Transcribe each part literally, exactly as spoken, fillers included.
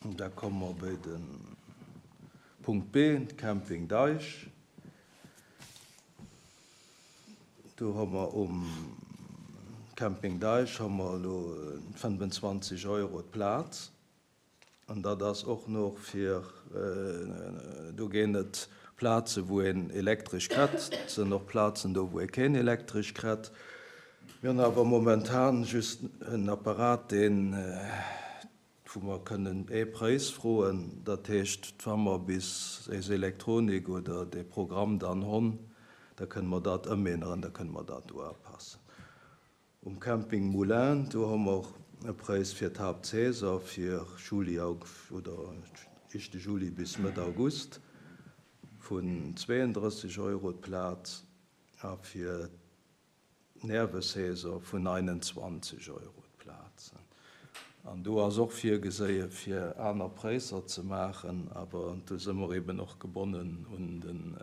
Da komme mer bei de Punkt B, Camping Deich. Do hu mer um Camping Deich hu mer elo fënnfenzwanzeg Euro d'Plaz. An dat ass och nach fir, do ginn et Plaze wou een Elektresch kritt, et sinn och Plazen do wou ee keen Elektresch kritt. Mir hunn awer momentan just en Apparat, deen, wou mer kënnen ee Präis froen. Dat heescht, wa mer bis eis Elektronik oder dee Programm dann hunn, da kënne mer dat ëmänneren, da kënne mer dat do upassen. Um Camping Moulin, do hu mer e Präis fir d'Haaptsaison, fir Juli oder éischte Juli bis Mëtt August vun zweeëndrësseg Euro d'Plaz a fir d'Nervesaison vun einundzwanzeg Euro d'Plaz. An do ass och virgeséie fir aner Präisser ze maachen, awer do si mer eben och gebonnen un den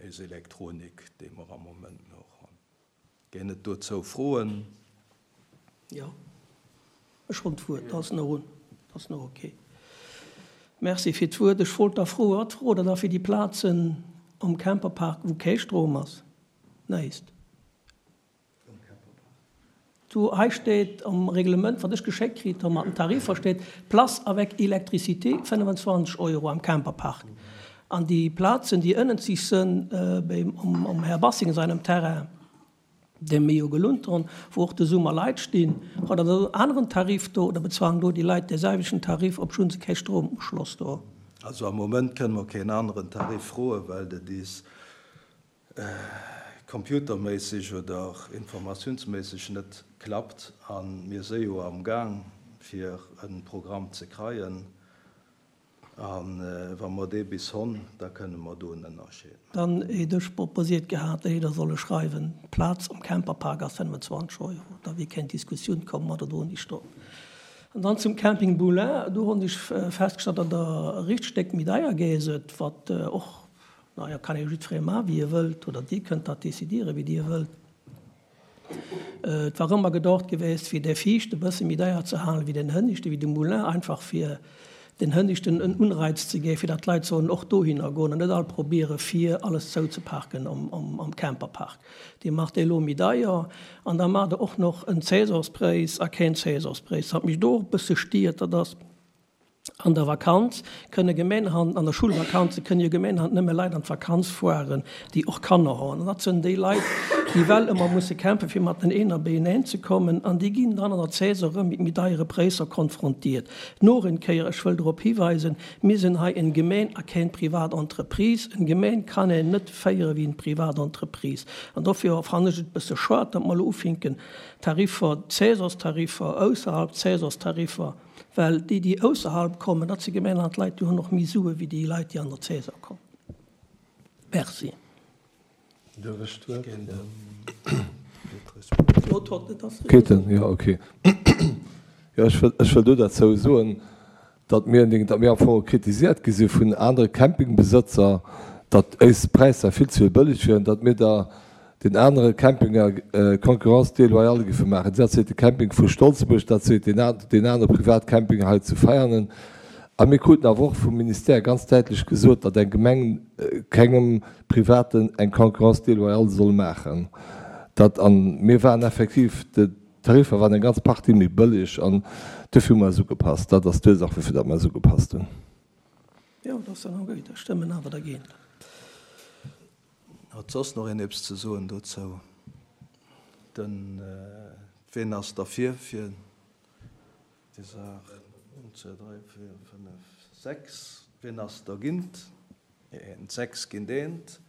eis Elektronik, déi mer am Moment nach hunn. Ginn et dozou Froen? Jo, ech hunn d'Wuert, dat ass nach un, dat ass nach okay. Merci fir d'Wuert. Ech wollt da froen, wat frot Der da fir déi Plazen am Camperpark, wou kee Strom ass? Näischt. Do hei steet am Reglement, wat ech geschéckt kritt hu mat den Tariffer, steet Place avec électricité fënnefenzwanzeg Euro am Camperpark. An déi Plazen, déi ënnent sich sënn, beim, um, um Här Bassing seinem Terrain, dee mir jo gelunt hunn, wou och de Summer Leit stinn, huet Der en aneren Tarif do oder bezwang do déi Leit dee selwechten Tarif, obschonn se kee Stromuschloss do? Also am Moment kënne mer keen aneren Tarif froen, well dat is computerméisseg oder informatiounsméisseg net klappt. An mir si jo am Gang, fir e Programm ze kreien. An wa mer dee bis hunn, da kënne mer do en Ënnerscheed maachen. Dann hätt ech proposiert gehat, déi da solle schreiwen, d'Plaz am Camperpark ass fënnefenzwanzeg Euro. Da wier keng Diskussioun komm, mat oder ouni Strom. An dann zum Camping Moulin, do hunn ech festgestallt, datt der Richtstéck méi deier gétt, wat och, naja, kann ee jiddweree maachen, wéi e wëllt, oder Dir kënnt dat décidieren, wéi Dir wëllt. Et war ëmmer gedacht gewiescht, fir de Viischt e bësse méi deier ze halen, wéi den Hënneschte, wéi de Moulin, einfach fir den Hënneschten en Unreiz ze ginn, fir datt d'Leit sollen och dohinner goen an net all probiere fir alles zouzeparken am, am, am Camperpark. Dir maacht dee lo méi deier an da maacht Der och nach en Saisonspräis a keen Saisonspräis. Wat mech do och e bësse stiert, dat ass, an der Vakanz kënne Gemeenhand, an der Schulvakanze kënne jo Gemeenhand nëmme Leit an d'Vakanz fueren, déi och Kanner hunn. An dat sinn déi Leit, déi well ëmmer musse kämpfen, fir mat den Eener beieneen ze kommen, an déi ginn dann an der Saison erëm mit méi deiere Präisser konfrontiert. Noch eng Kéier, ech wëll drop hiweisen, mir sinn hei eng Gemeen a keng Privatentreprise. Eng Gemeen kann een net féiere wéi eng Privatentreprise. An dofir fannen ech et e bësse schued, datt mer elo ufinken, Tariffer, Saisonstariffer, ausserhalb Saisonstariffer, well déi, déi ausserhalb kommen, dat si Gemeenland Leit, déi hunn och méi Sue wéi déi Leit, déi an der Saison kommen. Merci. Duerf ech d'Wuert? Ketten, ja, okay. Ja, ech wëll, ech wëll do dozou soen, datt mir, datt mir am Fong kritisiert gi si vun anere Campingbesëtzer, datt eis Präisser vill ze bëlleg wieren, datt mir da den anere Campinger Concurrence déloyale géife maachen. Dat seet de Camping vu Stolzebuerg, dat seet den, den anere Privatcamping hei zu Veianen. A mir kruten awer och vum Ministère ganz däitlech gesot, datt eng Gemeng kengem Privaten eng Concurrence déloyale soll maachen. Dat, an mir waren effektiv, d'Tariffer waren eng ganz Partie méi bëlleg an dofir hu mer eis ugepasst. Dat ass d'Ursaach, wofir datt mer eis ugepasst hunn. Jo, dat ass dann och gutt. Da stëmmen awer dergéint. Hat soss nach een eppes ze soen dozou? Den, ween ass derfir fir déi Saach? Een, zwee, dräi, véier, fënnef, sechs. Ween ass dergéint? Eent, sechs géint eent.